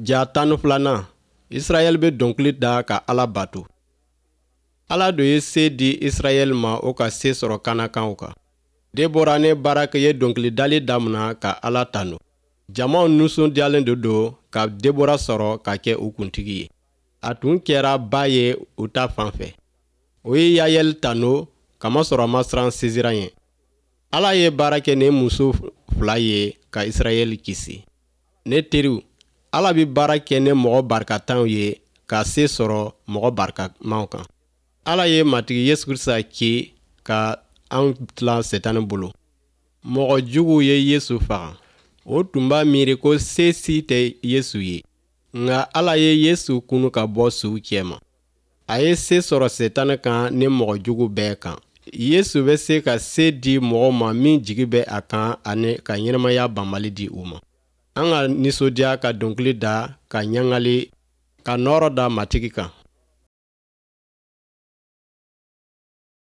Ja 12nan, Israɛl bɛ dɔnkili da ka Ala bato. Ala do ye se di Israɛl ma o ka se sɔrɔ Kanankaw kan. Debora ni Baraki ye dɔnkilidali damina ka Ala tanu. Jamaw nisɔndiyalen de don ka Debora sɔrɔ ka kɛ u kuntigi ye. A tun kɛra ba ye u ta fan fɛ. O ye Yayɛli tanu kamasɔrɔ a ma siran Sisira ɲɛ. Ala ye baara kɛ ni muso fila ye ka Israɛl kisi. Ne teriw, Ala bɛ baara kɛ ni mɔgɔ barikatanw ye ka se sɔrɔ mɔgɔ barikamaw kan. Ala ye Matigi Yesu Krisita ci ka an tilan Setani bolo. Mɔgɔ juguw ye Yesu faga. O tun b'a miiri ko se si tɛ Yesu ye. Nka Ala ye Yesu kunu ka bɔ suw cɛma. A ye se sɔrɔ Setani kan ni mɔgɔ jugu bɛɛ kan. Yesu bɛ se ka se di mɔgɔw ma min jigi bɛ a kan ani ka ɲɛnamaya banbali di u ma. An ka nisɔndiya ka dɔnkili da ka ɲagali ka nɔɔrɔ da Matigi kan.